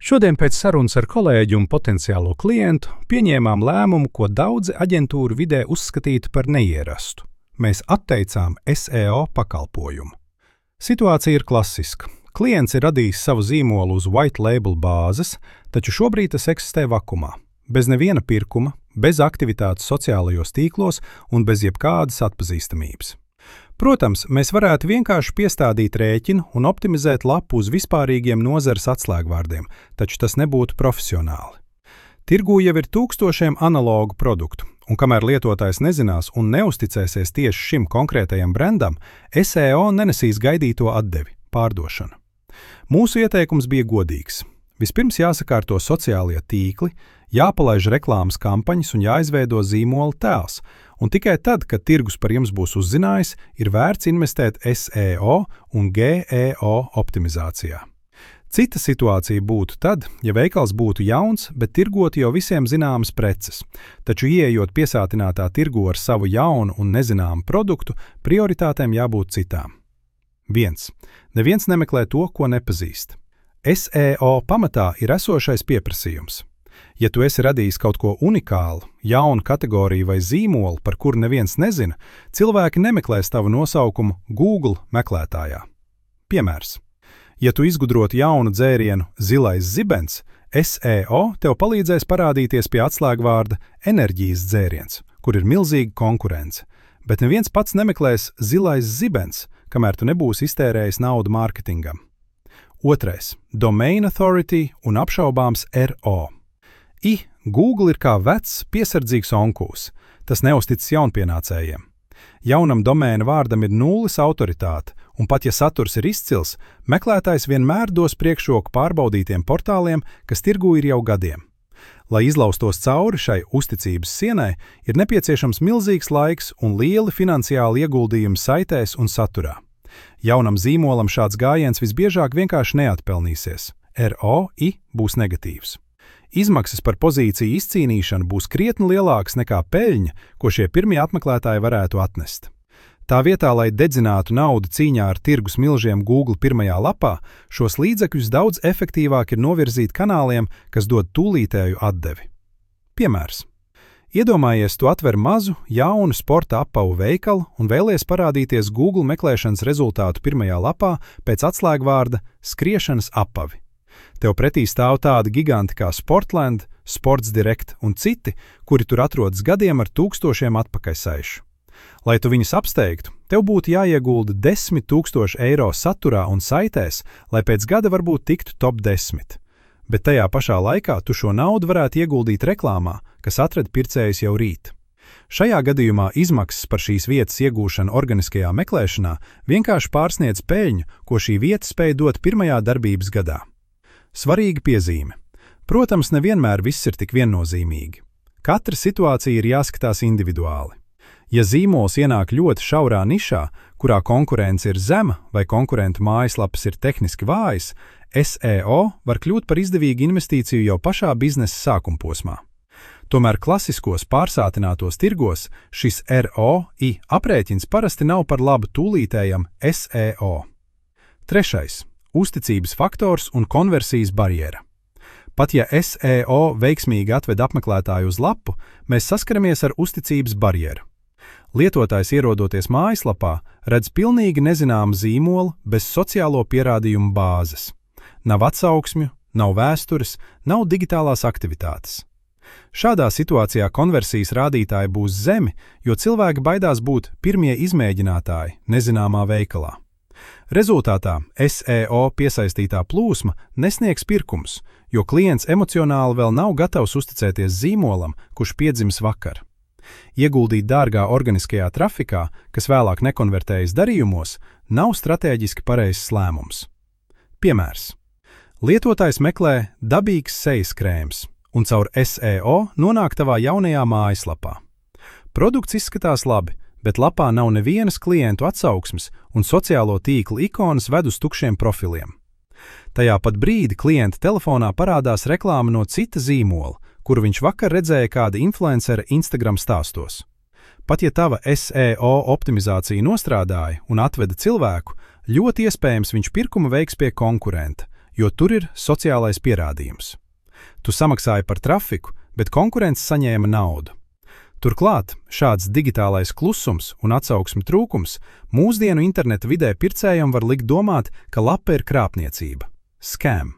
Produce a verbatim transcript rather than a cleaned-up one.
Šodien pēc sarunas ar kolēģi un potenciālo klientu pieņēmām lēmumu, ko daudzi aģentūru vidē uzskatītu par neierastu. Mēs atteicām S E O pakalpojumu. Situācija ir klasiska. Klients ir radījis savu zīmolu uz white label bāzes, taču šobrīd tas eksistē vakumā, bez neviena pirkuma, bez aktivitātes sociālajos tīklos un bez jebkādas atpazīstamības. Protams, mēs varētu vienkārši piestādīt rēķinu un optimizēt lapu uz vispārīgiem nozares atslēgvārdiem, taču tas nebūtu profesionāli. Tirgū jau ir tūkstošiem analogu produktu, un kamēr lietotājs nezinās un neusticēsies tieši šim konkrētajam brandam, S E O nenesīs gaidīto atdevi – pārdošanu. Mūsu ieteikums bija godīgs. Vispirms jāsakārto sociālie tīkli, jāpalaiž reklāmas kampaņas un jāizveido zīmola tēls, un tikai tad, kad tirgus par jums būs uzzinājis, ir vērts investēt S E O un G E O optimizācijā. Cita situācija būtu tad, ja veikals būtu jauns, bet tirgotu jau visiem zināmas preces, taču ieejot piesātinātā tirgu ar savu jaunu un nezināmu produktu, prioritātēm jābūt citām. viens. Neviens nemeklē to, ko nepazīst. S E O pamatā ir esošais pieprasījums. Ja tu esi radījis kaut ko unikālu, jaunu kategoriju vai zīmolu, par kuru neviens nezina, cilvēki nemeklēs tavu nosaukumu Google meklētājā. Piemērs. Ja tu izgudrotu jaunu dzērienu zilais zibens, S E O tev palīdzēs parādīties pie atslēgvārda enerģijas dzēriens, kur ir milzīga konkurence, bet neviens pats nemeklēs zilais zibens, kamēr tu nebūsi iztērējis naudu mārketingam. Otrais – Domain Authority un apšaubāms R O. I, Google ir kā vecs, piesardzīgs onkūs. Tas neuzticas jaunpienācējiem. Jaunam domēna vārdam ir nulles autoritāte, un pat ja saturs ir izcils, meklētājs vienmēr dos priekšroku pārbaudītiem portāliem, kas tirgū ir jau gadiem. Lai izlaustos cauri šai uzticības sienai, ir nepieciešams milzīgs laiks un lieli finansiāli ieguldījumi saitēs un saturā. Jaunam zīmolam šāds gājiens visbiežāk vienkārši neatpelnīsies. R O I būs negatīvs. Izmaksas par pozīciju izcīnīšanu būs krietni lielākas nekā peļņa, ko šie pirmie apmeklētāji varētu atnest. Tā vietā, lai dedzinātu naudu cīņā ar tirgus milžiem Google pirmajā lapā, šos līdzekļus daudz efektīvāk ir novirzīt kanāliem, kas dod tūlītēju atdevi. Piemērs. Iedomājies, tu atver mazu, jaunu sporta apavu veikalu un vēlies parādīties Google meklēšanas rezultātu pirmajā lapā pēc atslēgvārda skriešanas apavi. Tev pretī stāv tādi giganti kā Sportland, Sports Direct un citi, kuri tur atrodas gadiem ar tūkstošiem atpakaļsaišu. Lai tu viņus apsteigtu, tev būtu jāiegulda desmit tūkstoši eiro saturā un saitēs, lai pēc gada varbūt tiktu top desmit. Bet tajā pašā laikā tu šo naudu varētu ieguldīt reklāmā, kas atrada pircējus jau rīt. Šajā gadījumā izmaksas par šīs vietas iegūšanu organiskajā meklēšanā vienkārši pārsniedz peļņu, ko šī vieta spēj dot pirmajā darbības gadā. Svarīga piezīme. Protams, nevienmēr viss ir tik viennozīmīgi. Katra situācija ir jāskatās individuāli. Ja zīmols ienāk ļoti šaurā nišā, kurā konkurence ir zema vai konkurentu mājaslapas ir tehniski vājas, S E O var kļūt par izdevīgu investīciju jau pašā biznesa sākumposmā. Tomēr klasiskos pārsātinātos tirgos šis R O I aprēķins parasti nav par labu tūlītējam S E O. Trešais. Uzticības faktors un konversijas barjera. Pat ja S E O veiksmīgi atved apmeklētāju uz lapu, mēs saskaramies ar uzticības barjeru. Lietotājs ierodoties mājaslapā redz pilnīgi nezināmu zīmolu bez sociālo pierādījumu bāzes. Nav atsauksmju, nav vēstures, nav digitālās aktivitātes. Šādā situācijā konversijas rādītāji būs zemi, jo cilvēki baidās būt pirmie izmēģinātāji nezināmā veikalā. Rezultātā S E O piesaistītā plūsma nesniegs pirkums, jo klients emocionāli vēl nav gatavs uzticēties zīmolam, kurš piedzimis vakar. Ieguldīt dārgā organiskajā trafikā, kas vēlāk nekonvertējas darījumos, nav stratēģiski pareizs lēmums. Piemērs. Lietotājs meklē dabīgs sejas krēms un caur S E O nonāk tavā jaunajā mājaslapā. Produkts izskatās labi, bet lapā nav nevienas klientu atsauksmes un sociālo tīklu ikonas ved uz tukšiem profiliem. Tajā pat brīdi klienta telefonā parādās reklāma no cita zīmola, kuru viņš vakar redzēja kāda influencera Instagram stāstos. Pat ja tava S E O optimizācija nostrādāja un atveda cilvēku, ļoti iespējams viņš pirkumu veiks pie konkurenta, jo tur ir sociālais pierādījums. Tu samaksāji par trafiku, bet konkurence saņēma naudu. Turklāt šāds digitālais klusums un atsauksmi trūkums mūsdienu interneta vidē pircējam var likt domāt, ka lapa ir krāpniecība, scam.